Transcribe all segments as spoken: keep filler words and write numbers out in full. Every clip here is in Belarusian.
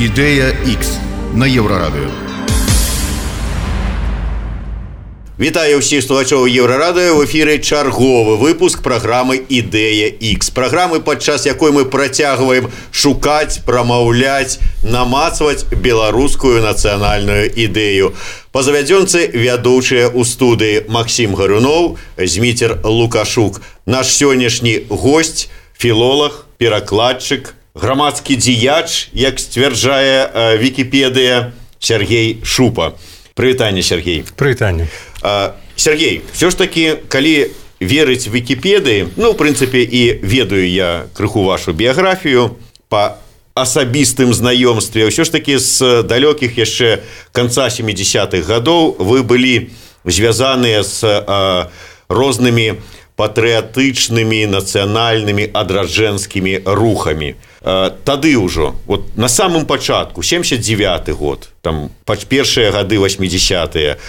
Ідэя Х на Еўрарадыё. Вітаю ўсіх слухачоў Еўрарадыё. В эфіры чарговы выпуск праграмы «Ідэя Х». Праграмы, падчас якой мы працягваем шукаць, прамаўляць, намацваць беларускую нацыянальную ідэю. Па завядзёнцы вядучыя ў студыі Максім Гаруноў, Зміцер Лукашук. Наш сённяшні госць, філолог, перакладчык, грамадскі дзеяч, як сцвярджае э, Вікіпедыя, Сергей Шупа. Прывітанне, Сергей. Прывітанне. Э, Сергей, все ж таки, калі верыць Вікіпедыі, ну, в прынцыпе, і ведаю я крыху вашу біяграфію па асабістым знаёмстве, ўсё ж таки з далёкіх яшчэ канца сямідзесятых гадоў вы былі звязаныя з э, рознымі патрыятычнымі, нацыянальнымі, адраджэнскімі рухамі. Тады ўжо, вот на самым пачатку, семьдесят девятый год, там першыя гады восьмидесятые,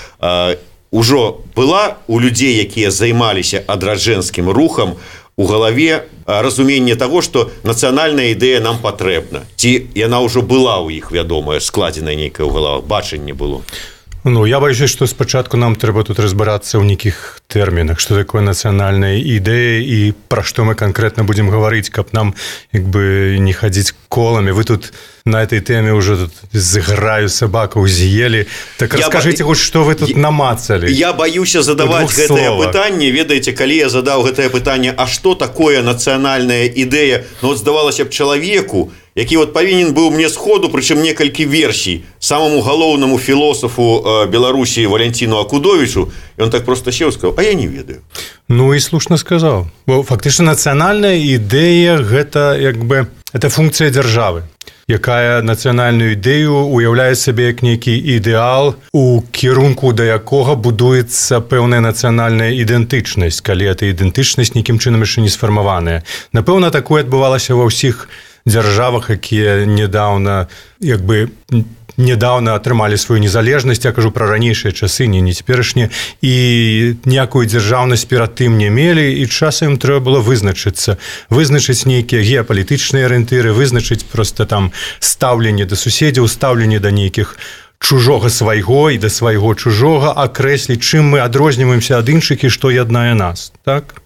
ўжо была у людзей, якія займаліся адраджэнскім рухам, у галаве разуменне таго, што нацыянальная ідэя нам патрэбна. Ці яна ўжо была ў іх, вядомая, складзеная нейкая ў галавах, бачанне было? Ну, я баюся, што спачатку нам трэба тут разбірацца ў нейкіх тэрмінах, што такое нацыянальная ідэя і пра што мы канкрэтна будзем гаварыць, каб нам як бы не хадзіць коламі. Вы тут на этой тэме ўжо тут зграю сабакаў з'елі. Так раскажыце хоць, што вы тут намацалі. Я баюся задаваць гэтае пытанне. Ведаеце, калі я задаў гэтае пытанне, а што такое нацыянальная ідэя? Ну, вот здавалася б чалавеку, які вот павінен быў мне сходу, прычым некалькі версій, самому галоўнаму філосафу Беларусі Валянціну Акудовічу, і он так просто сеў і сказаў, а я не ведаю. Ну і слушна сказаў. Бо фактычна нацыянальная ідэя гэта як бы это функцыя дзяржавы, якая нацыянальную ідэю уяўляе сабе як нейкі ідэал, у кірунку да якога будуецца пэўная нацыянальная ідэнтычнасць, калі эта ідэнтычнасць нейкім чынам яшчэ не сфармаваная. Напэўна, такое адбывалася ва ўсіх дзяржавах, якія недаўна як бы недаўна атрымалі сваю незалежнасць, я кажу пра ранейшыя часы, не, не цяперашнія, і ніякую дзяржаўнасць перад тым не мелі, і часам ім трэба было вызначыцца, вызначыць нейкія геапалітычныя арыентыры, вызначыць проста там стаўленне да суседзяў, стаўленне да нейкіх чужога свайго і да свайго чужога, акрэсліць, чым мы адрозніваемся ад іншых і што яднае нас. Так?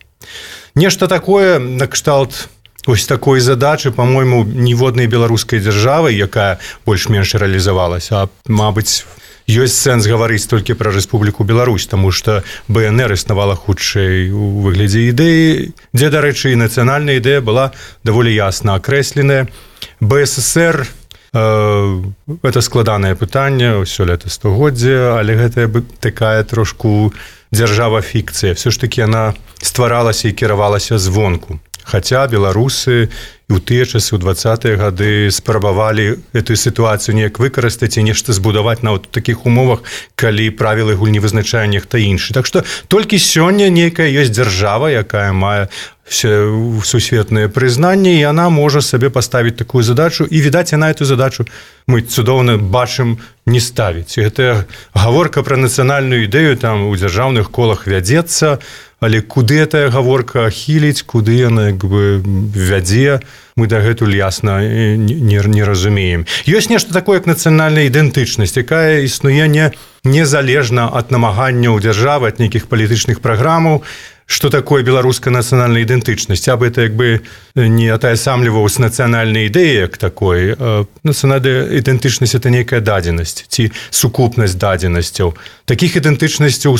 Нешта такое накшталт ось такой задачы, по-мойму, ніводнай беларускай дзяржавы, якая больш-менш рэалізавалася, а, мабыць, ёсць сэнс гаварыць толькі пра Рэспубліку Беларусь, таму што бэ эн эр існавала хутчэй у выглядзе ідэі, дзе, дарэчы, і нацыянальная ідэя была даволі ясна акрэсленая. бэ эс эс эр э, гэта складанае пытанне, сёлета стагоддзя, але гэта такая трошку дзяржава-фікцыя. Всё ж такі яна стваралася і кіравалася звонку. Хаця беларусы і ў тыя часы, у двадцатыя гады спрабавалі эту сітуацыю неяк выкарыстаць і нешта збудаваць нават у такіх умовах, калі правілы гульні вызначае нехта іншы. Так што толькі сёння нейкая ёсць дзяржава, якая мае сусветнае прызнанне, і яна можа сабе паставіць такую задачу, і, відаць, яна эту задачу мы цудоўна бачым не ставіць. І гэтая гаворка пра нацыянальную ідэю там у дзяржаўных колах вядзецца, але куды гэтая гаворка хіліць, куды яна як бы вядзе, мы дагэтуль ясна не, не, не разумеем. Ёсць нешта такое, як нацыянальная ідэнтычнасць, якая існуе не незалежна ад намаганняў дзяржавы, ад нейкіх палітычных праграмаў. Што такое беларуская нацыянальная ідэнтычнасць? Я бы это як бы не атаясамліваў з нацыянальнай ідэяй як такой. Нацыянальная ідэнтычнасць – это нейкая дадзенасць ці сукупнасць дадзенасцяў. Такіх ідэнтычнасцяў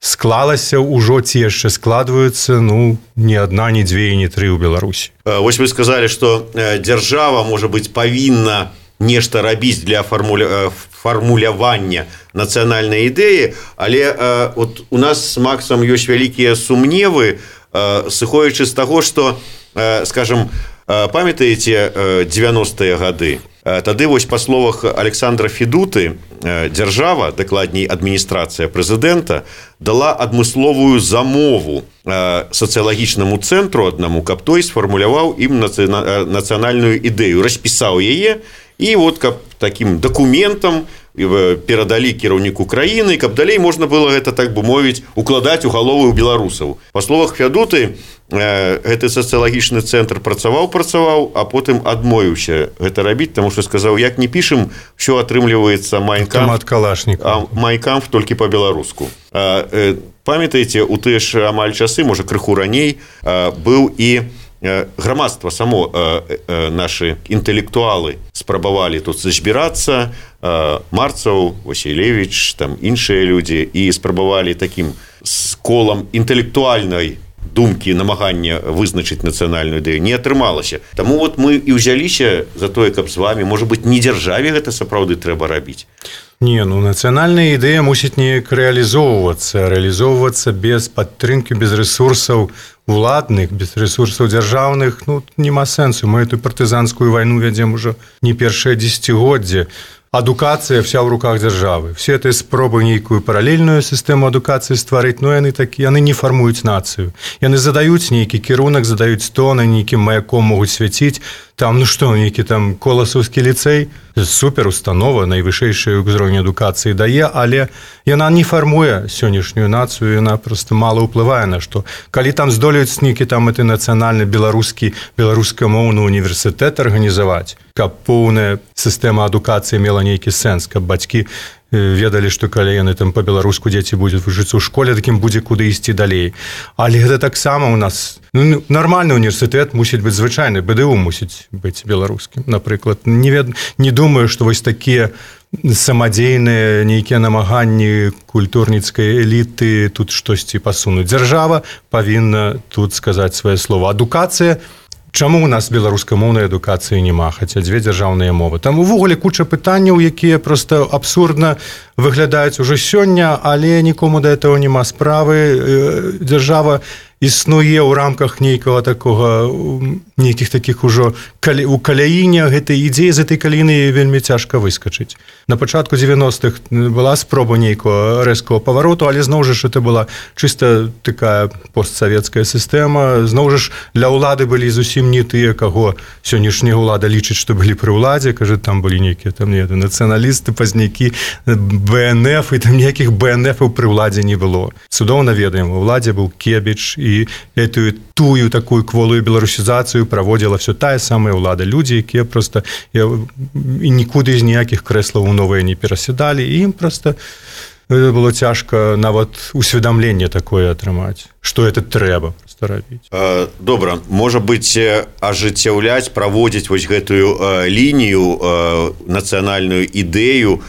склалася ўжо, ці яшчэ складваюцца, ну, ні адна, ні дзве і ні тры ў Беларусі. Вось вы сказалі, што дзяржава, можа быць, павінна нешта рабіць для фармуля... фармулявання нацыянальнай ідэі, але э, вот у нас з Максом ёсць вялікія сумневы, э, сыходзячы з таго, што, э, скажем, э, памятаеце э, дзевяностыя гады? Э, тады вось па словах Александра Федуты э, дзяржава, дакладней адміністрацыя прэзідэнта, дала адмысловую замову э, сацыялагічнаму цэнтру аднаму, каб той сфармуляваў ім нацыянальную ідэю, распісаў яе, і вот каб таким дакументам перадалі кіраўніку краіны, каб далей можна было гэта, так бы мовіць, укладаць у галовы ў беларусаў. Па словах Фядуты, гэты сацыялагічны цэнтр працаваў, працаваў, а потым адмовіўся гэта рабіць, таму што сказаў, як не пішам, ўсё атрымліваецца майнкамф, а майнкамф толькі па-беларуску. Памятаеце, у тыя ж амаль часы, можа, крыху раней, быў і грамадства само, нашы інтэлектуалы спрабавалі тут збірацца, Марцаў, Васілевіч, там іншыя людзі, і спрабавалі такім колам інтэлектуальнай думкі, намагання вызначыць нацыянальную ідэю. Не атрымалася. Таму вот мы і ўзяліся за тое, каб з вами, можа быць, не дзяржаве гэта сапраўды трэба рабіць. Не, ну нацыянальная ідэя мусіць неяк рэалізоўвацца, рэалізоўвацца без падтрымкі, без рэсурсаў уладных, без рэсурсаў дзяржаўных, ну, няма сэнсу. Мы эту партызанскую вайну вядзем ужо не першае дзесяцігоддзе. Адукацыя вся ў руках дзяржавы. Все гэтыя спробы нейкую паралельную сістэму адукацыі стварыць, но яны так, яны не фармуюць нацыю. Яны задаюць нейкі кірунак, задаюць тон, нейкім маяком могуць свяціць. Там, ну што, нейкі там коласаўскі ліцэй, супер установа, найвышэйшая ўзровень адукацыі дае, але яна не фармуе сённяшнюю нацыю, яна проста мала ўплывае на што. Калі там здолеюць нейкі там гэты нацыянальны беларускі, беларускамоўны універсітэт арганізаваць, каб поўная сістэма адукацыі мела нейкі сэнс, каб бацькі ведалі, што калі яны там па-беларуску дзеці будуць вучыцца ў школе, такім будзе куды ісці далей. Але гэта таксама ў нас, ну, нармальны універсітэт мусіць быць звычайны, БДУ мусіць быць беларускім, напрыклад. Не, вед... не думаю, што вось такія самадзейныя нейкія намаганні культурніцкай эліты тут штосьці пасунуць. Дзяржава павінна тут сказаць сваё слова. Адукацыя. Чаму у нас беларускамоўнай адукацыі няма, хаця дзве дзяржаўныя мовы? Там увогуле куча пытанняў, якія проста абсурдна выглядаюць ужо сёння, але нікому да этого няма справы. Дзяржава існуе ў рамках нейкага такога, нейкіх такіх ужо у каляіне гэтай ідзеі, з этой каляіны вельмі цяжка выскачыць. На пачатку дзевяностых была спроба нейкага рэзкага павароту, але зноў жа это была чыста такая постсавецкая сістэма. Зноў жа для ўлады былі зусім не тыя, каго сённяшняя ўлада лічыць, што былі пры ўладзе, кажа, там былі нейкія там не нацыяналісты, пазнякі, бэ эн эф, і там ніякіх бэ эн эфаў пры ўладзе не было. Цудоўна ведаем, у ўладзе быў Кебіч, і эту тую такую кволую беларусізацыю праводзіла все тая самая ўлада. Людзі, якія проста і нікуды з ніякіх крэслаў у новыя не перасядалі, і ім проста было цяжка нават усведамленне такое атрымаць, што это трэба проста рабіць. Добра, можа быць, ажыццяўляць, праводзіць вось гэтую лінію, нацыянальную ідэю,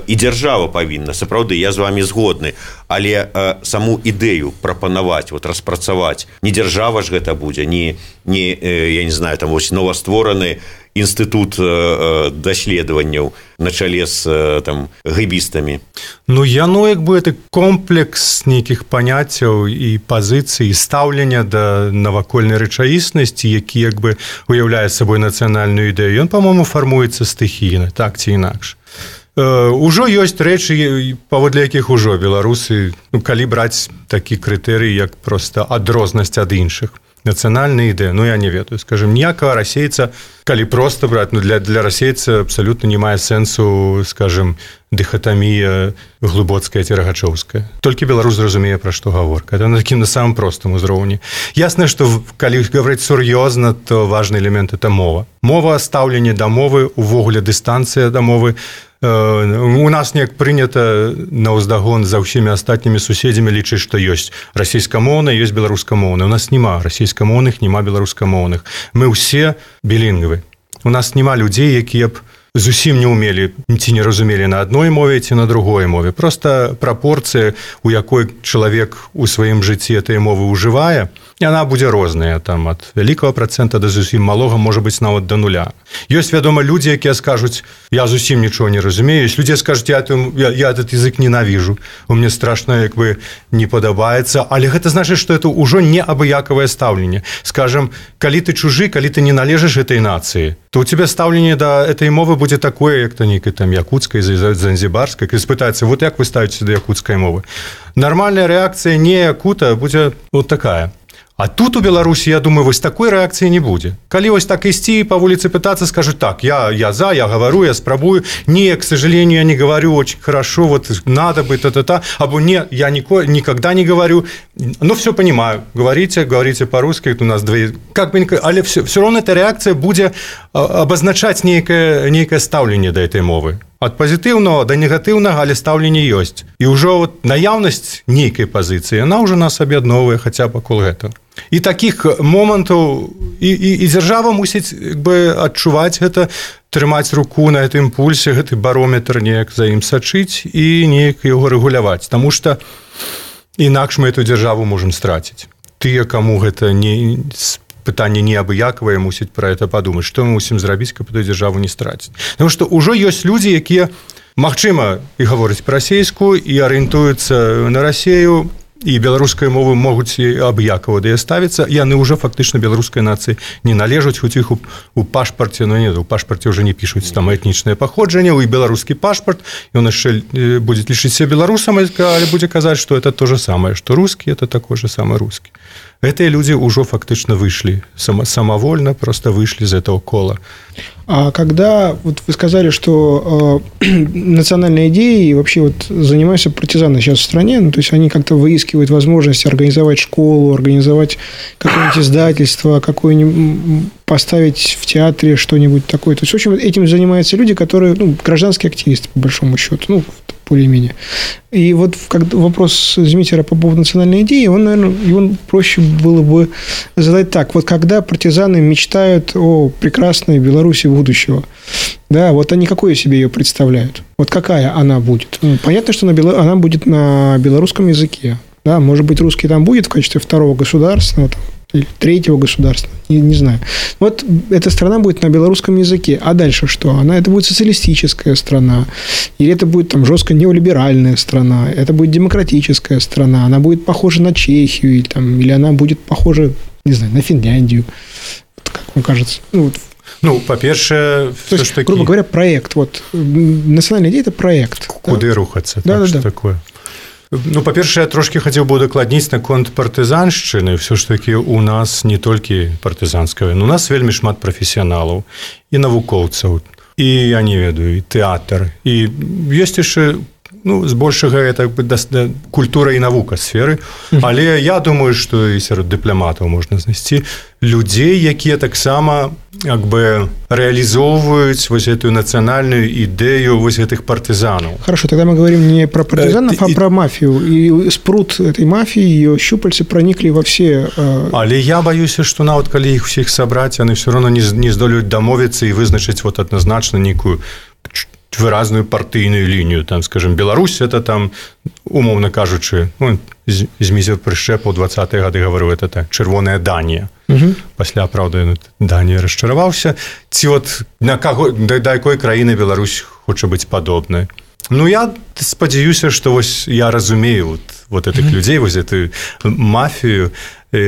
і дзяржава павінна, сапраўды, я з вами згодны, але э, саму ідэю прапанаваць, вот, распрацаваць, не дзяржава ж гэта будзе, не, не э, я не знаю, там вось новаствораны інстытут э, даследаванняў на чале з э, там гэбістамі. Ну, яно, як бы, это комплекс нейкіх паняццяў і пазіцый, стаўлення да навакольнай рэчаіснасці, які, як бы, уяўляе сабой нацыянальную ідэю. Ён, па-мому, фармуецца стыхійна, так ці інакш. Ужо ёсць рэчы, паводле якіх ужо беларусы, ну, калі браць такі крытэрый, як проста адрознасць ад іншых. Нацыянальная ідэя, ну, я не ведаю, скажем, ніякага расейца, калі проста браць, ну, для, для расейца абсалютна не мае сэнсу, скажем, дыхатамія глыбоцкая ці рагачоўская. Толькі беларус зразумее, пра што гаворка. Это на такім на самым простым узроўні. Ясна, што калі гаварыць сур'ёзна, то важны элемент – это мова. Мова, стаўленне да мовы, увогуле дыстанцыя да мовы. У нас неяк прынята на ўздагон за ўсімі астатнімі суседзямі лічыць, што ёсць расійскамоўныя, ёсць беларускамоўныя. У нас няма расійскамоўных, няма беларускамоўных. Мы ўсе білінгвы. У нас няма людзей, якія б зусім не ўмелі ці не разумелі на адной мове ці на другой мове. Проста прапорцыя, у якой чалавек у сваім жыцці этой мовы ўжывае, яна будзе розная, там, ад вялікага працэнта да зусім малога, можа быць, нават да нуля. Ёсць, вядома, людзі, якія скажуць, я зусім нічого не разумею. Ёсць людзі скажуць, я, я, я этот язык ненавижу, у мне страшна, як бы, не падабаецца, але гэта значыць, што это ўжо не абыякавае стаўленне. Скажем, калі ты чужы, калі ты не належыш этой нацыі, то у тебя стаўленне да этой мовы будзе такое, як то нейкай там якутскай, занзібарскай, калі спытаецца, вот як вы ставіце да якутскай мовы. Нармальная рэакцыя не якута будзе вот такая. А тут у Беларусі, я думаю, вось такой рэакцыі не будзе. Калі вось так ісці па вуліцы пытацца, скажуць так, я, я за, я говорю, я спрабую, не, к сожалению, я не говорю очень хорошо, вот надо бы, та-та-та, або не, я нико, никогда не говорю, но все понимаю, говорите, говорите по-русски, у нас двое, как бы, але все, все равно эта реакция будет обозначать некое, некое ставление до этой мовы. Ад пазітыўнага да негатыўнага, але стаўленне ёсць. І ўжо вот наяўнасць нейкай пазіцыі, яна ўжо нас аб'ядноўвае хаця пакуль гэта. І такіх момантаў і, і, і дзяржава мусіць як бы адчуваць гэта, трымаць руку на гэтым пульсе, гэты барометр неяк за ім сачыць і неяк яго рэгуляваць, таму што інакш мы эту дзяржаву можам страціць. Тыя, каму гэта не пытанне неабыякавае, мусіць пра гэта падумаць, што мы мусім зрабіць, каб эту дзяржаву не страціць. Таму што ўжо ёсць людзі, якія, магчыма, і гавораць па-расейску, і арыентуюцца на Расею, і беларускай мовы могуць абыякава да ставіцца, яны ўжо фактычна беларускай нацыі не належаць, хоць іх у, у пашпарце, ну не, у пашпарце ўжо не пішуць там этнічнае паходжанне, і беларускі пашпарт, ён яшчэ будзе лічыць себе беларусам, але будзе казаць, што это то же самае, што рускі, это такой же самы рускі. Гэтыя людзі ўжо фактычна выйшлі, сама, самовольно просто вышли из этого кола. А когда вот вы сказали, что э, национальные идеи и вообще вот занимаются партизаны сейчас в стране, ну, то есть они как-то выискивают возможность организовать школу, организовать какое-нибудь издательство, какое-нибудь поставить в театре что-нибудь такое. То есть, в общем, этим занимаются люди, которые, ну, гражданские активисты, по большому счету, ну, более-менее. И вот когда вопрос Змитера по поводу национальной идеи, он, наверное, его проще было бы задать так. Вот когда партизаны мечтают о прекрасной Беларуси будущего, да, вот они какую себе ее представляют? Вот какая она будет? Ну, понятно, что она будет на белорусском языке. Да, может быть, русский там будет в качестве второго государственного, там, или третьего государства, не, не знаю. Вот эта страна будет на белорусском языке. А дальше что? Она, это будет социалистическая страна, или это будет там жестко неолиберальная страна, это будет демократическая страна, она будет похожа на Чехию, или, там, или она будет похожа, не знаю, на Финляндию, вот, как вам кажется. Ну, вот. Ну, по-перше, то есть, таки... грубо говоря, проект. Вот, национальная идея – это проект. Куды да? рухаться? Да, так, да, да. Такое. Ну, па-першае, я трошкі хацеў бы удакладніць наконт партызаншчыны. Ўсё ж такі у нас не толькі партызанская, но у нас вельмі шмат прафесіяналаў і навукоўцаў, і я не ведаю, і тэатр, і ёсць яшчэ, ну, збольшага это культура і навука сферы, але я думаю, што і сярод дыпламатаў можна знайсці людзей, якія таксама як бы реализовывают вот эту национальную идею вот этих партизанов. Хорошо, тогда мы говорим не про партизанов, а про мафию. И спрут этой мафии, ее щупальцы проникли во все... Э... Але я боюсь, что нават калі их всех собрать, они все равно не, не здолеют домовиться и вызначить вот однозначно некую выразную партийную линию. Там, скажем, Беларусь, это там, умовно кажучи, ну, Змізер прищеп у двадцятыя гады говорив, это так, червоная Данія. Угу. Пасля, правда, Данія расчараваўся. Ці от на каго, да, да якой краіны Беларусь хоча быць падобнай? Ну, я спадзяюся, што вось я разумею вот, вот этих угу. людзей, вось эту мафію,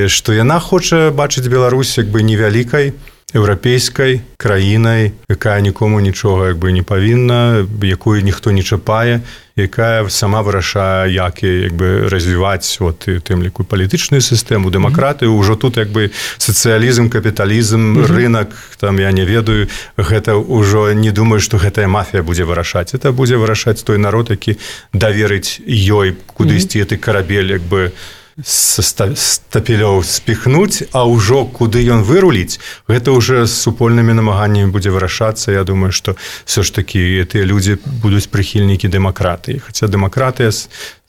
што яна хоча бачыць Беларусь як бы невялікай, еўрапейскай краінай, якая нікому нічога як бы не павінна, якую ніхто не чапае, якая сама вырашае, як як бы развіваць вот і тым ліку палітычную сістэму, дэмакратыю. Mm-hmm. Ужо тут як бы сацыялізм, капіталізм, mm-hmm. рынок, там я не ведаю, гэта ўжо не думаю, што гэтая мафія будзе вырашаць. Это будзе вырашаць той народ, які даверыць ёй кудысьці mm-hmm. гэты карабель як бы з стапелёў спіхнуць, а ўжо куды ён выруліць, гэта ўжо з супольнымі намаганнямі будзе вырашацца. Я думаю, што все ж такі гэтыя людзі будуць прыхільнікі дэмакратыі. Хаця дэмакратыя,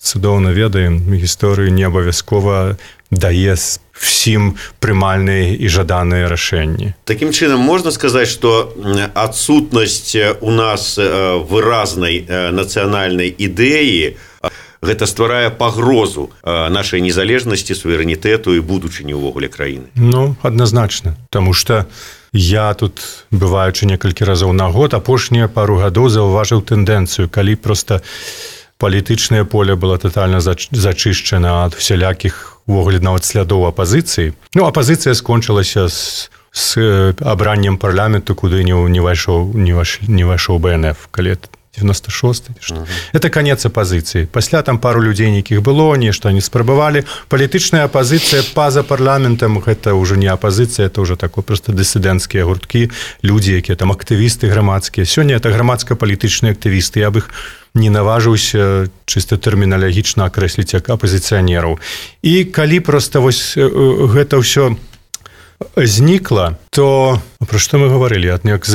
цудоўна ведаем, гісторыю не абавязкова дае всім прымальныя і жаданыя рашэнні. Такім чынам можна сказаць, што адсутнасць у нас выразнай нацыянальнай ідэі гэта стварае пагрозу нашай незалежнасці, суверэнітэту і будучыні ўвогуле краіны. Ну, адназначна, таму што я тут, бываючы некалькі разоў на год, апошнія пару гадоў заўважыў тэндэнцыю, калі проста палітычнае поле было тотальна зачышчана ад усялякіх увогуле нават слядоў апазіцыі. Ну, апазіцыя скончылася з, з абраннем парламенту, куды не, не, вайшоў, не, вайш, не вайшоў бэ эн эф, калі девяносто шосты. Uh-huh. Это конец апозіцыі. Пасля там пару людзей нейкіх было, нешта не спрабавалі. Палітычная апозіцыя па-за парламентам гэта ўжо не апозіцыя, это ўжо такое просто дысідэнцкія гурткі, людзі, якія там актывісты грамадскія. Сёння это грамадска-палітычныя актывісты. Я б іх не наважыўся чыста тэрміналагічна акрэсліць як апозіцыянераў. І калі проста вось гэта ўсё знікла, то пра што мы гаварылі, аднак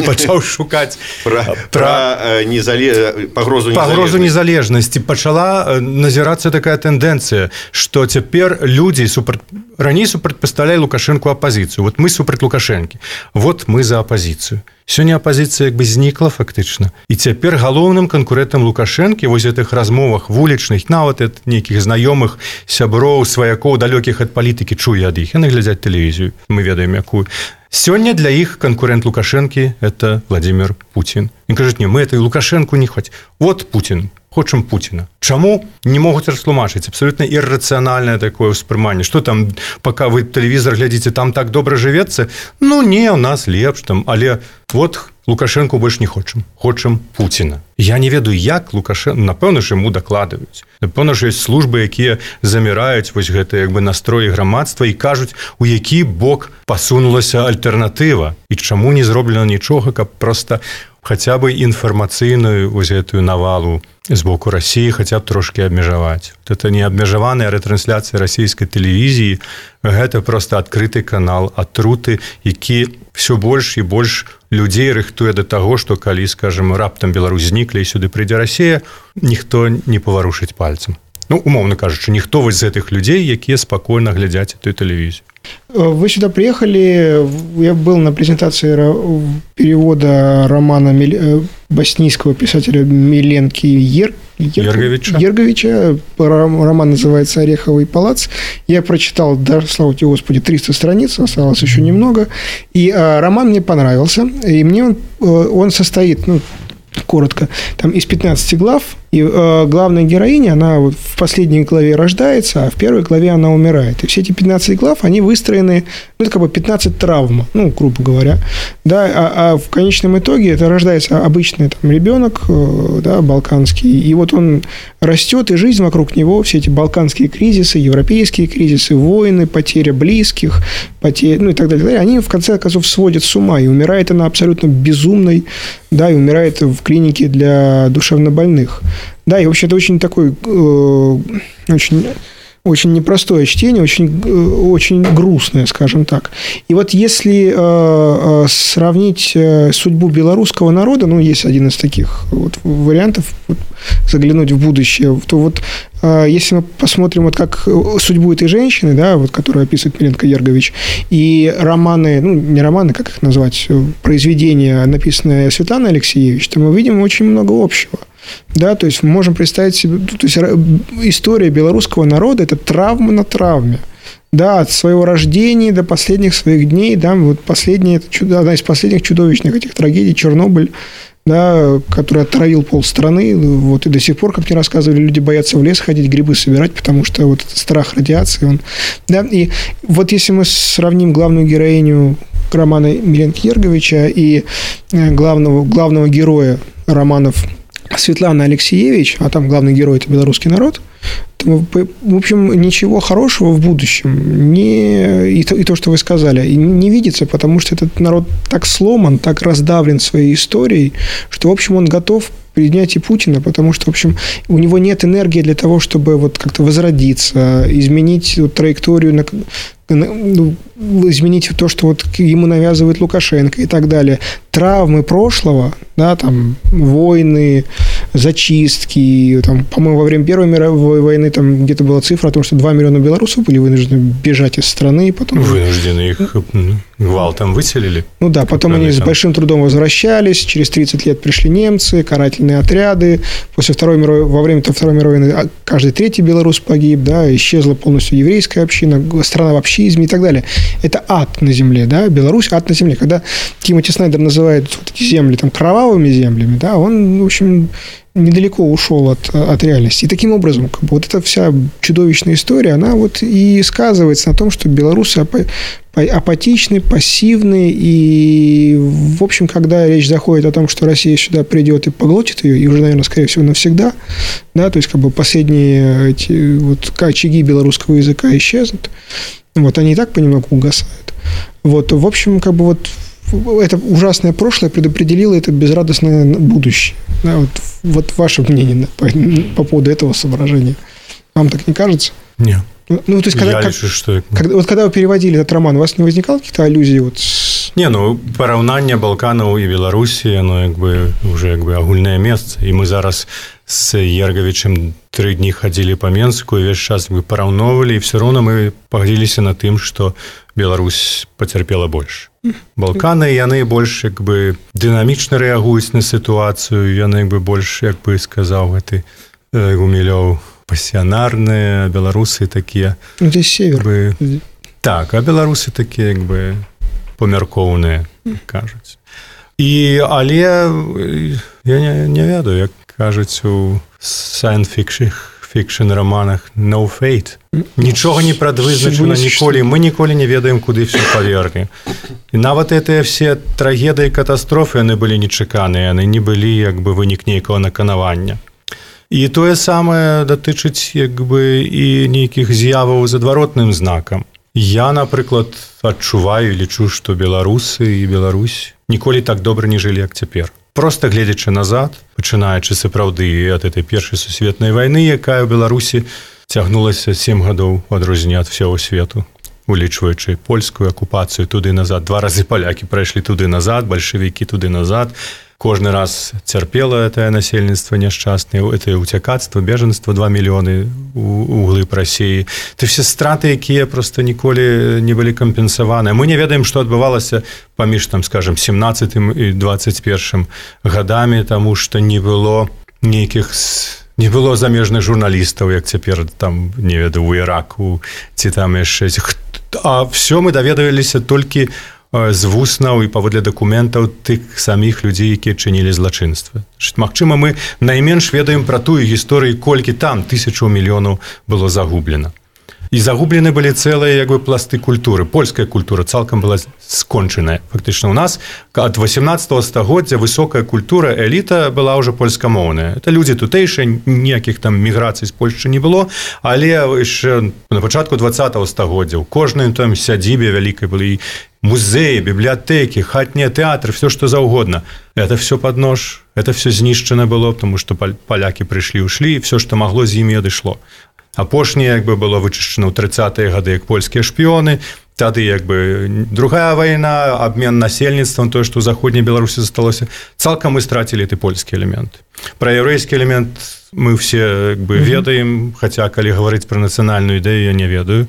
пачаў шукаць пра, пра незале... пагрозу пагрозу незалежнасці. Пачала назірацца такая тэндэнцыя, што цяпер людзі супраць... раней супрацьпастаўлялі Лукашэнку апазіцыю. Вот мы супраць Лукашэнкі, вот мы за апазіцыю. Сёння апазіцыя як бы знікла фактычна. І цяпер галоўным канкурэнтам Лукашэнкі вось гэтых размовах вулічных, нават ад нейкіх знаёмых, сяброў, сваякоў, далёкіх ад палітыкі, чуе ад іх. Яны глядзяць тэлевізію, мы ведаем якую. Сёння для іх канкурэнт Лукашэнкі – это Владимир Путин. Ён кажуць, не, мы этой Лукашэнку не хоць. Вот Путин, хочам Путина. Чаму? Не могуць растлумачыць. Абсолютно іррацыянальнае такое ўспрыманне. Што там, пока вы тэлевізор глядзіце, там так добра жывецца? Ну, не, у нас лепш там, але вот Лукашэнку больш не хочам. Хочам Путина. Я не ведаю, як Лукашэнку, напэўна ж, яму дакладваюць. Напэўна ж, ёсць службы, якія заміраюць вось гэта як бы настроі грамадства і кажуць, у які бок пасунулася альтэрнатыва і чаму не зроблена нічога, каб проста хаця бы інфармацыйную вось гэтую навалу з боку Расіі хаця б трошкі абмежаваць. Это не абмежаваная рэтрансляцыя расійскай тэлевізіі, гэта проста адкрыты канал атруты, які все больш і больш людзей рыхтуе да таго, што калі, скажем, раптам Беларусь зніклі і сюды прыйдзе Расія, ніхто не паварушыць пальцам. Ну, умоўна кажучы, ніхто вось з гэтых людзей, якія спакойна глядзяць эту тэлевізію. Вы сюда приехали, я был на презентации перевода романа боснийского писателя Миленки Ер... Ер... Ерговича. Ерговича. Роман называется «Ореховый палац». Я прочитал, да, слава тебе Господи, триста страниц, осталось еще немного. И а, роман мне понравился. И мне он, он состоит, ну, коротко, там из пятнадцати глав, и э, главная героиня, она вот в последней главе рождается, а в первой главе она умирает. И все эти пятнадцать глав, они выстроены, ну, это как бы пятнадцать травм, ну, грубо говоря, да, а, а в конечном итоге это рождается обычный там ребенок, э, да, балканский, и вот он растет, и жизнь вокруг него, все эти балканские кризисы, европейские кризисы, войны, потеря близких, потеря, ну, и так далее, так далее, они в конце концов сводят с ума, и умирает она абсолютно безумной, да, и умирает в клинике для душевнобольных. Да, и вообще это очень такой, э, очень, очень непростое чтение, очень, э, очень грустное, скажем так. И вот если э, сравнить судьбу белорусского народа, ну, есть один из таких вот вариантов, вот, заглянуть в будущее, то вот э, если мы посмотрим, вот как судьбу этой женщины, да, вот, которую описывает Миленко Ергович, и романы, ну, не романы, как их назвать, произведения, написанные Светланой Алексеевич, то мы видим очень много общего. Да, то есть мы можем представить себе, то есть история белорусского народа – это травма на травме. Да, от своего рождения до последних своих дней, да, вот последняя, это одна из последних чудовищных этих трагедий, Чернобыль, да, который отравил полстраны, вот, и до сих пор, как мне рассказывали, люди боятся в лес ходить, грибы собирать, потому что вот этот страх радиации, он, да, и вот если мы сравним главную героиню романа Миленки Ерговича и главного, главного героя романов Светлана Алексеевич, а там главный герой – это белорусский народ, то, в общем, ничего хорошего в будущем не, и, то, и то, что вы сказали, не видится, потому что этот народ так сломан, так раздавлен своей историей, что, в общем, он готов принять и Путина, потому что, в общем, у него нет энергии для того, чтобы вот как-то возродиться, изменить вот траекторию, на, ну, изменить то, что вот ему навязывает Лукашенко и так далее. Травмы прошлого, да, там, войны, зачистки, там, по-моему, во время Первой мировой войны там где-то была цифра о том, что два миллиона белорусов были вынуждены бежать из страны. Потом... Вынуждены, их гвалтом выселили. Ну да, потом они там с большим трудом возвращались, через тридцать лет пришли немцы, карательные отряды. После Второй мировой, во время Второй мировой войны каждый третий белорус погиб, да, исчезла полностью еврейская община, страна в общизме и так далее. Это ад на земле, да, Беларусь – ад на земле. Когда Тимоти Снайдер называет вот эти земли там кровавыми землями, да, он, в общем, недалеко ушел от, от реальности. И таким образом, как бы, вот эта вся чудовищная история, она вот и сказывается на том, что белорусы апатичны, пассивны, и, в общем, когда речь заходит о том, что Россия сюда придет и поглотит ее, и уже, наверное, скорее всего, навсегда, да, то есть, как бы, последние эти вот очаги белорусского языка исчезнут, вот, они и так понемногу угасают. Вот, в общем, как бы, вот, это ужасное прошлое предопределило это безрадостное будущее. Да, вот, вот ваше мнение по, по поводу этого соображения. Вам так не кажется? Нет. Ну, то есть, когда, Я как, лишу, что... когда, вот когда вы переводили этот роман, у вас не возникало каких-то аллюзий? Вот с... Не, ну, параўнанне Балканаў і Беларусі, оно, як бы, уже, як бы, агульнае месца. І мы зараз з Ергавічем тры дні хадзілі па Менску, і весь час мы параўноўвалі, і все роўна мы пагадзіліся на тым, што Беларусь пацярпела больш. Балканы, яны больш, як бы, дынамічна рэагуюць на сітуацыю, яны, як бы, больш, як бы сказаў гэты Гумілёў, пассіянарныя, беларусы такія. Ну, здесь север. Бы, так, а беларусы такія, як бы, памяркоўныя, кажуць. І, але я не, не ведаю, як кажуць у science-fiction романах no fate. Нічога не прадвызначана ніколі. Мы ніколі не ведаем, куды все паверне. І нават гэтыя все трагедыі і катастрофы, яны былі нечаканыя, яны не былі, як бы, вынік нейкага наканавання. І тое самае датычыць, як бы, і нейкіх з'яваў з адваротным знакам. Я, напрыклад, адчуваю, лічу, што беларусы і Беларусь ніколі так добра не жылі, як цяпер. Просто гледзячы назад, пачынаючы сапраўды ад этой першай сусветнай вайны, якая ў Беларусі цягнулася сем гадоў у адрозненне ад всего свету, улічваючы польскую акупацыю туды назад. Два разы палякі прайшлі туды назад, бальшавікі туды назад. Кожны раз цярпела это насельніцтва няшчаснае, это уцякацтва, бежанства, два мільёны у глыб Расіі. Это все страты, якія просто ніколі не былі кампенсаваныя. Мы не ведаем, што адбывалася паміж, там, скажем, семнадцатым і двадцать першым гадамі, таму што не было нейкіх не было замежных журналістаў, як цяпер там, не ведаю, у Іраку ці там яшчэ. А все мы даведаваліся толькі з вуснаў і паводле дакументаў тых саміх людзей, якія чынілі злачынства. Магчыма, мы найменш ведаем пра тую гісторыю, колькі там тысячаў мільёнаў было загублена. І загублены былі цэлыя, як бы, пласты культуры. Польская культура цалкам была скончаная. Фактычна, у нас ад восемнадцатага стагоддзя высокая культура, эліта была ўжо польскамоўная. Это людзі тутэйшыя, ніякіх там міграцый з Польшчы не было, але яшчэ на пачатку двадцатага стагоддзя ў кожнай там сядзібе вялікай былі музеі, бібліятэкі, хатнія тэатры, все што заўгодна. Это все пад нож, это все знішчана было, тому што палякі прыйшлі, ушлі, і все, што магло, з імі адышло. Апошняе, як бы, было вычышчана ў трыццатыя гады, як польскія шпіёны, тады, як бы, другая вайна, абмен насельніцтвам, тое, што ў заходняй Беларусі засталося, цалкам мы страцілі гэты польскі элемент. Пра яўрэйскі элемент мы все, як бы, ведаем, хаця, калі гаварыць пра нацыянальную ідэю, я не ведаю.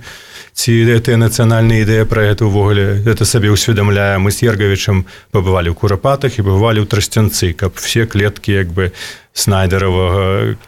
Ці гэтая нацыянальная ідэя пра гэта ўвогуле, гэта сабе ўсведамляе. Мы з Ергавічам пабывалі ў Курапатах і пабывалі ў Трасцянцы, каб все клеткі, як бы, снайдэравага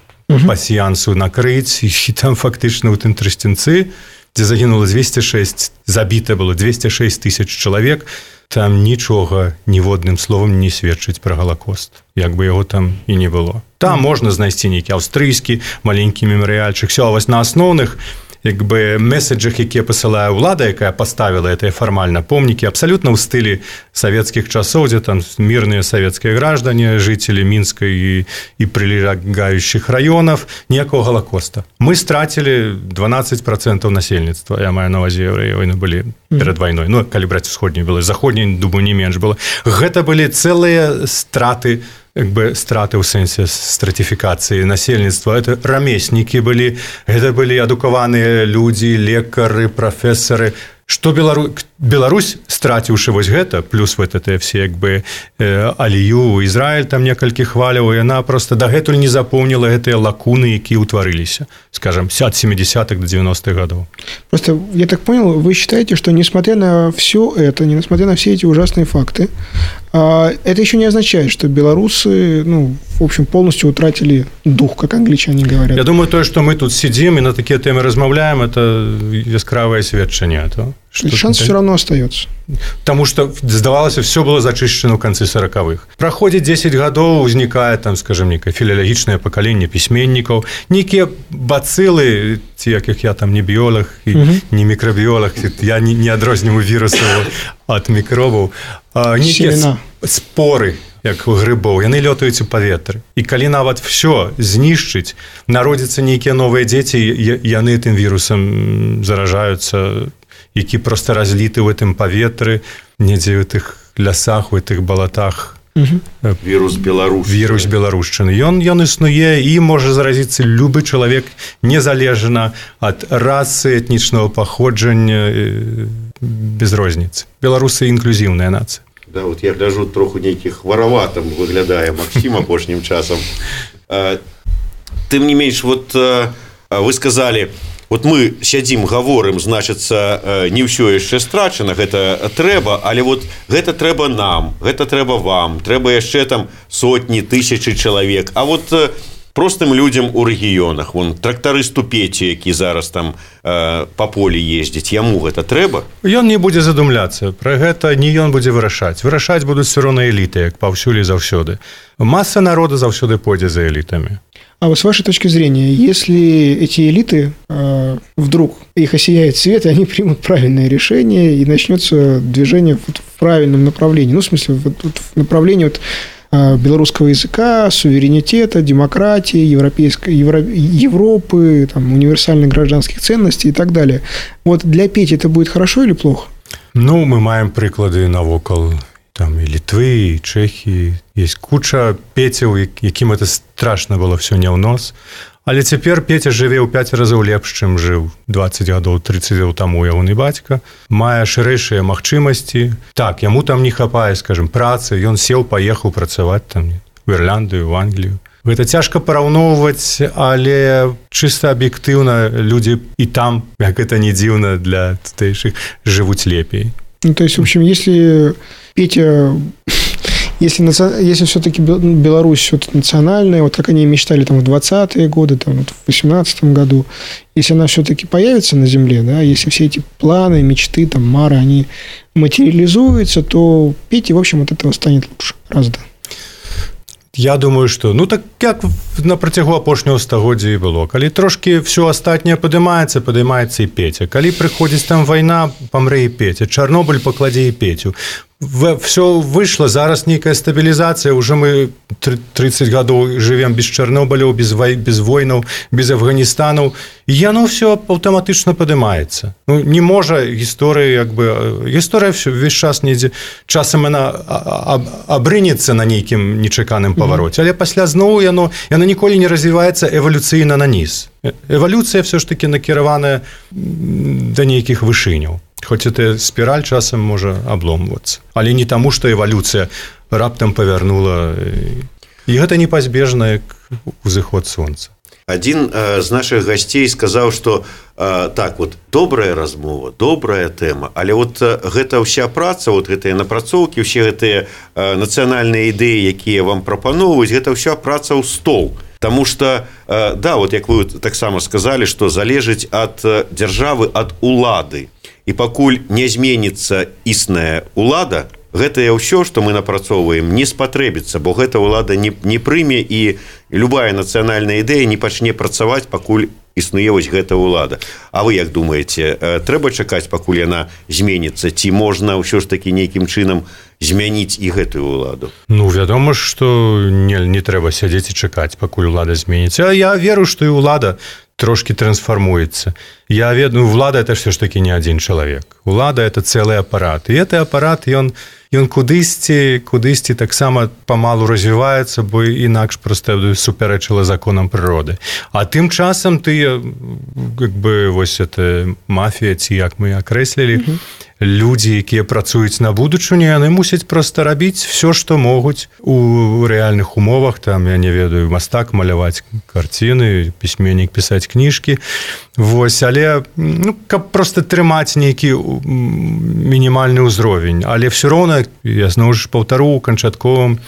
пасіянсу накрыць, і там фактычна ў тым Трасцянцы, дзе загінула двести шесть, забіта было двести шесть тысяч чалавек, там нічога ніводным словам не сведчыць пра Галакост, як бы яго там і не было. Там можна знайсці нейкі аўстрыйскі маленькі мемарыяльчык, все, а вось на асноўных, як бы, месседжах, якія пасылае ўлада, якая паставіла это фармальна помнікі, абсалютна ў стылі савецкіх часоў, дзе там мірныя савецкія граждане, жыцелі Мінска і, і прилегаючых раёнаў, ніякого Галакоста. Мы страцілі дванаццаць процентаў насельніцтва, я маю на ўвазе яўрэяў, яны былі перад вайной. Ну, калі браць усходнюю было, заходнюю, думаю, не менш было. Гэта былі цэлыя страты, як бы, страты ў сэнсе стратыфікацыі насельніцтва. Это рамеснікі былі, гэта былі адукаваныя людзі, лекары, прафесары. Што Белару... Беларусь, страціўшы вось гэта, плюс вот это все, як бы, э, алію, Ізраіль там некалькі хваляў, яна просто дагэтуль не запомніла гэтыя лакуны, якія ўтварыліся, скажем, ад семидесятых до девяностых годов. Просто, я так понял, вы считаете, что несмотря на все это, несмотря на все эти ужасные факты, это еще не означает, что белорусы, ну, в общем, полностью утратили дух, как англичане говорят. Я думаю, то, что мы тут сидим и на такие темы размовляем, это яскравое сведчанне этого. Шанс все равно остается. Потому что, здавалася, все было зачышчана ў канцы сорокавых. Праходзіць дзесяць гадоў, узнікае там, скажем, некае філалагічнае пакаленне пісьменнікаў, нейкія бацылы, ці якіх я там не біолог і угу. не мікрабіолог, я не, не адрозніваю вірусаў ад мікробаў, нейкія споры, як у грыбоў, яны лётаюць у паветры. І калі нават все знішчыць, народзяцца нейкія новыя дзеці, яны тым вірусам заражаюцца, які проста разліты ў гэтым паветры, недзе ў тых лясах, у тых балатах. Угу. Вірус беларушчыны. Вірус беларушчыны. Ён, ён існуе і можа заразіцца любы чалавек незалежна ад расы, этнічнага паходжання, без розніцы. Беларусы інклюзіўная нацыя. Да, вот я гляжу, троху нейкіх вараватым выглядае Максім апошнім часам. Тым не менш, вот вы сказалі, вот мы сядзім, гаворым, значыцца, не ўсё яшчэ страчана, гэта трэба, але вот гэта трэба нам, гэта трэба вам, трэба яшчэ там сотні, тысячы чалавек. А вот простым людзям у рэгіёнах, вон трактарысту Пеці, які зараз там э, па полі ездзіць, яму гэта трэба? Ён не будзе задумляцца, пра гэта не ён будзе вырашаць. Вырашаць будуць все роўна эліты, як паўсюль і заўсёды. Маса народа заўсёды пойдзе за элітамі. А вот с вашей точки зрения, если эти элиты э, вдруг их осияет свет, и они примут правильное решение, и начнется движение вот в правильном направлении, ну, в смысле, вот, вот в направлении вот, э, белорусского языка, суверенитета, демократии, европейской, Евро, Европы, там, универсальных гражданских ценностей и так далее. Вот для Пети это будет хорошо или плохо? Ну, мы маем прыклады навокал там і Літвы, і Чэхіі, есть куча Пецяў, якім это страшна было все не ў нос. Але цяпер Петя жыве ў пяць разоў лепш, чым жыў дваццаць гадоў, трыццаць гадоў таму ягоны бацька, мае шырэйшыя магчымасці. Так, яму там не хапае, скажем, працы, ён сеў, паехаў працаваць там в Ірландыю, в Англію. Гэта цяжка параўноўваць, але чыста аб'ектыўна людзі і там, як гэта не дзіўна для тутэйшых, жывуць лепей. Ну, то есть, в общем, если Петя, если, если все-таки Беларусь вот национальная, вот как они мечтали там в двадцатые годы, там вот в восемнадцатом году, если она все-таки появится на земле, да, если все эти планы, мечты, там, мары, они материализуются, то Пете, в общем, от этого станет лучше гораздо. Я думаю, што ну так як на працягу апошняго стагоддзя і было. Калі трошкі ўсё астатняе падымаецца, падымаецца і Петя. Калі прыходзіць там вайна, памрэ і Петя. Чарнобыль пакладзе і Петю. Все вышло, зараз нейкая стабілізацыя, уже мы трыццаць гадоў жывем без Чарнобыляў, без, вой, без войнаў, без Афганістанаў, і яно все аўтаматычна падымаецца. Ну, не можа гісторыя, як бы, гісторыя ўвесь час недзе, часам яна абрынецца на нейкім нечаканым павароце, але пасля зноў яно, яно ніколі не развіваецца эвалюцыйна на ніз. Эвалюцыя все ж таки накіраваная да нейкіх вышыняў. Хоць эта спіраль часам можа абломвацца. Але не таму, што эвалюцыя раптам павярнула. І гэта непазбежна, як узыход сонца. Адзін з нашых гасцей сказаў, што так, вот, добрая размова, добрая тэма, але вот гэта ўся праца, вот гэтыя напрацоўкі, усе гэтыя нацыянальныя ідэі, якія вам прапаноўваюць, гэта ўся праца ў стол. Таму што, да, вот як вы таксама сказалі, што залежыць ад дзяржавы, ад улады. І пакуль не зменіцца існая ўлада, гэтае ўсё, што мы напрацоўваем, не спатрэбіцца, бо гэта ўлада не, не прыме, і любая нацыянальная ідэя не пачне працаваць, пакуль існуе вось гэта ўлада. А вы як думаеце, трэба чакаць, пакуль яна зменіцца, ці можна ўсё ж такі нейкім чынам змяніць і гэтую ўладу? Ну, вядома, што не, не трэба сядзець і чакаць, пакуль ўлада зменіцца. А я веру, што і ўлада трошки трансформуецца. Я ведаю, ўлада это все ж таки не адзін чалавек. Улада это цэлы апарат. І гэты апарат, ён, ён кудысьці, кудысьці таксама памалу развіваецца, бо інакш проста супярэчыла законам прыроды. А тым часам тыя, як бы, вось это мафія, ці як мы акрэслілі, mm-hmm. людзі, якія працуюць на будучыню, яны мусяць проста рабіць все, што могуць у рэальных умовах, там, я не ведаю, мастак маляваць карціны, пісьменнік пісаць кніжкі. Вось, але ну, каб проста трымаць нейкі мінімальны ўзровень, але все роўна, я зноў ж паўтару, у канчатковым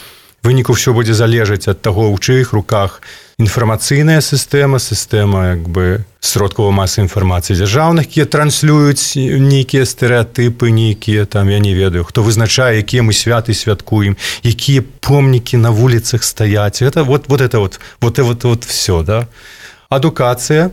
выніку ўсё будзе залежаць ад таго, у чыіх руках інфармацыйная сістэма, сістэма як бы сродкаў масавай інфармацыі дзяржаўных, якія транслююць нейкія стэрэатыпы, нейкія там, я не ведаю, хто вызначае, якія мы святы святкуем, якія помнікі на вуліцах стаяць. Это вот, вот это вот, вот, вот, вот все, да. Адукацыя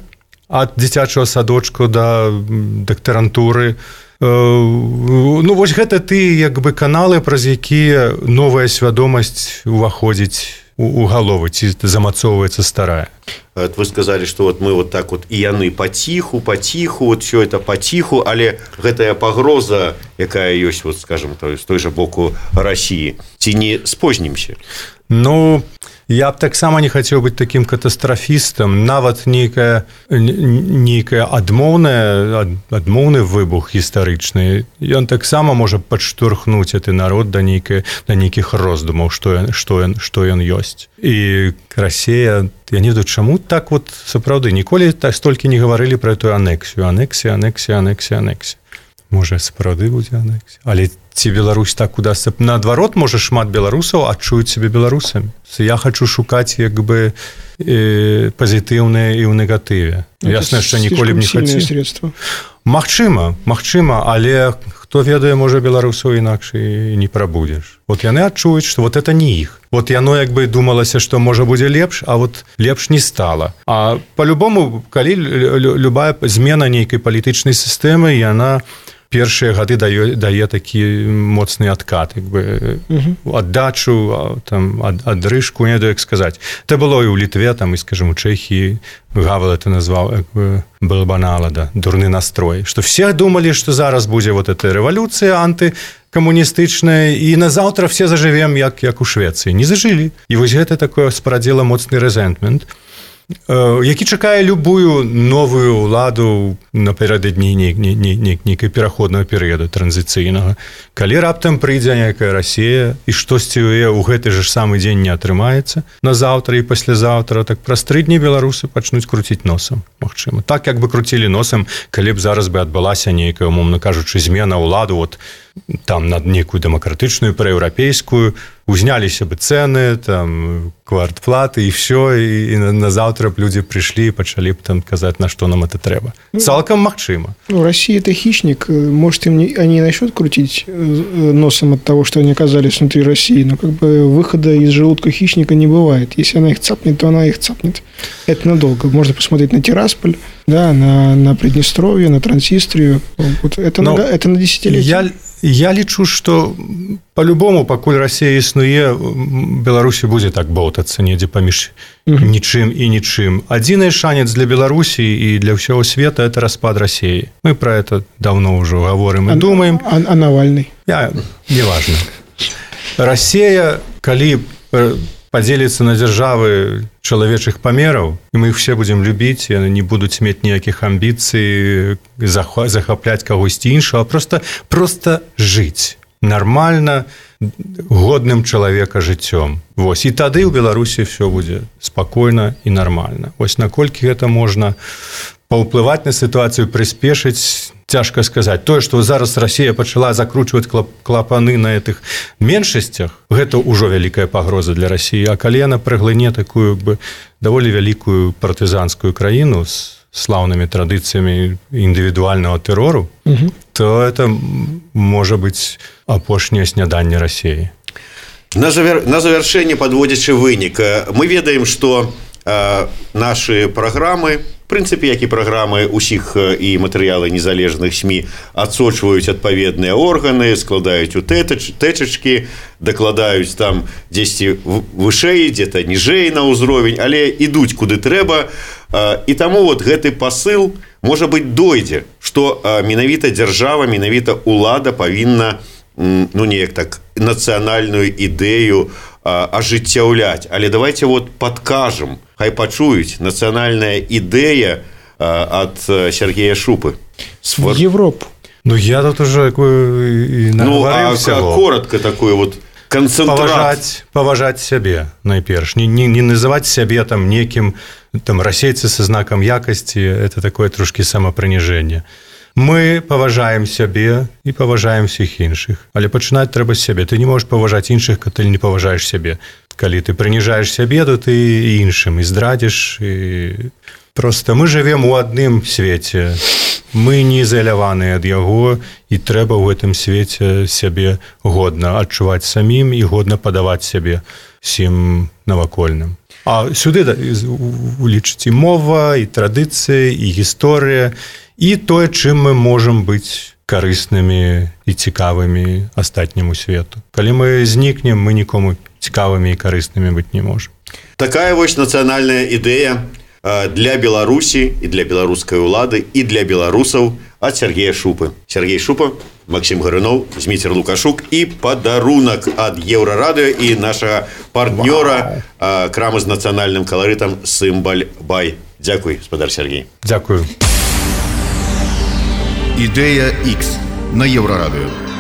ад дзіцячага садочку да дактарантуры. Ну, вось гэта ты, як бы, каналы, праз якія новая свядомасць уваходзіць у галовы, ці замацоўваецца старая. Вы сказали, что вот мы вот так вот і яны паціху, паціху, вот все это паціху, але гэтая пагроза, якая ёсць, вот, скажем, з той жа боку Расіі, ці не спознімся? Ну, я б таксама не хацеў быць такім катастрафістам. Нават нейкая, нейкая адмоўная, адмоўны выбух гістарычны, ён таксама можа падштурхнуць гэты народ да нейкай, да нейкіх роздумаў, што ён, што ён, што ён ёсць. І Расія, я не ведаю, чаму так вот сапраўды ніколі так столькі не гаварылі пра эту анексію, анексія, анексія, анексія, анексія. Можа, сапраўды будзе анексія. Але ці Беларусь так удасца? Наадварот, можа, шмат беларусаў адчуюць сябе беларусамі. Я хачу шукаць, як бы, э, пазітыўнае і ў негатыве. Ясна, што ніколі б не хацеў. Магчыма, магчыма, але хто ведае, можа, беларусаў інакш і не прабудзеш. Вот яны адчуюць, што вот это не іх. Вот яно, як бы, думалася, што, можа, будзе лепш, а вот лепш не стала. А па-любому, калі любая змена нейкай палітычнай сістэмы, яна першыя гады дае, дае такі моцны адкат, як бы, угу. аддачу, там, ад, адрыжку, не ведаю, як сказаць. Это было і ў Літве, там, і, скажем, у Чэхіі, Гавел это назваў, як бы, Балбанала, да, дурны настрой. Што все думалі, што зараз будзе вот эта рэвалюцыя антыкамуністычная, і назаўтра все зажывем, як, як у Швецыі. Не зажылі. І вось гэта такое спарадзіла моцны рэзентмент, які чакае любую новую ўладу напярэдадні нейкай пераходнага перыяду транзіцыйнага. Калі раптам прыйдзе некая Расія і штосьці ў гэты ж самы дзень не атрымаецца, на заўтра і паслязаўтра, так праз тры дні беларусы пачнуць круціць носам, магчыма. Так, як бы круцілі носам, калі б зараз бы адбылася нейкая, умоўна кажучы, змена ўладу, вот там на некую дэмакратычную, праеўрапейскую, узняліся бы цэны, там, квартплаты і все, і, і на завтра б людзі прыйшлі і пачалі б там казаць, на што нам это трэба. Цалкам магчыма. Ну, Россия – это хищник. Может, им не, они начнут крутить носом от того, что они оказались внутри России, но как бы выхода из желудка хищника не бывает. Если она их цапнет, то она их цапнет. Это надолго. Можно посмотреть на Тирасполь, да, на, на Приднестровье, на Трансистрию. Вот это, на, это на десятилетие. Я... Я лічу, што па-любому, пакуль Расія існуе, Беларусі будзе так боўтацца недзе паміж нічым і нічым. Адзіны шанец для Беларусі і для ўсяго света – это распад Расіі. Мы пра это давно ўжо гаворым і а, думаем. А, а Навальный? Я, неважна. Расія, калі падзеліцца на дзяржавы чалавечых памераў, і мы іх все будзем любіць, яны не будуць мець ніякіх амбіцый захапляць кагосьці іншага, просто, просто жыць нармальна, годным чалавека жыццём. Вось. І тады ў Беларусі все будзе спакойна і нармальна. Вось наколькі гэта можна паўплываць на сітуацыю, прыспешыць, цяжка сказаць. Тое, што зараз Расія пачала закручваць клапаны на гэтых меншасцях, гэта ўжо вялікая пагроза для Расіі. А калі яна праглыне такую бы даволі вялікую партызанскую краіну з слаўнымі традыцыямі індывідуальнага тэрору, угу. то это можа быць апошняе сняданне Расіі. На, завер... на завяршэнне падводзячы вынік. Мы ведаем, што э, нашы праграмы, в прынцыпе, як і праграмы ўсіх і матэрыялы незалежных СМІ адсочваюць адпаведныя органы, складаюць у тэчачкі, дакладаюць там дзесьці вышэй, дзе-то ніжэй на ўзровень, але ідуць куды трэба. І таму вот гэты пасыл, можа быць, дойдзе, што менавіта дзяржава, менавіта ўлада павінна, ну, неяк так, нацыянальную ідэю ажыццяўляць. Але давайте вот падкажам, хай пачуюць, нацыянальная ідэя ад Сергея Шупы. В Европу. Ну, я тут уже такой и наговорил всего. Ну, а коротко такой вот концентрат. Поважать, поважать себе, найперш. Не, не, не называть себе там неким, там, расейцы со знаком якости, это такое трошки самопрыніжэнне. Мы паважаем сябе і паважаем всіх іншых. Але пачынаць трэба з сябе. Ты не можаш паважаць іншых, калі ты не паважаеш сябе. Калі ты прыніжаеш сябе, то ты іншым і здрадзіш. І... Просто мы жывем у адным свеце. Мы не ізаляваныя ад яго, і трэба ў гэтым свеце сябе годна адчуваць самім і годна падаваць сябе всім навакольным. А сюды улічыць і мова, і традыцыі, і гісторыя, і тое, чым мы можам быць карыснымі і цікавымі астатняму свету. Калі мы знікнем, мы нікому цікавымі і карыснымі быць не можам. Такая вось нацыянальная ідэя для Беларусі і для беларускай улады і для беларусаў ад Сергея Шупы. Сергей Шупа, Максим Гарыноў, Зміцер Лукашук і падарунак ад Еўрарадыё і нашага партнёра wow. крамы з нацыянальным каларытам Сімбаль Бай. Дзякуй, гаспадар Сергей. Дзякую. Ідэя Х на Еўрарадыё.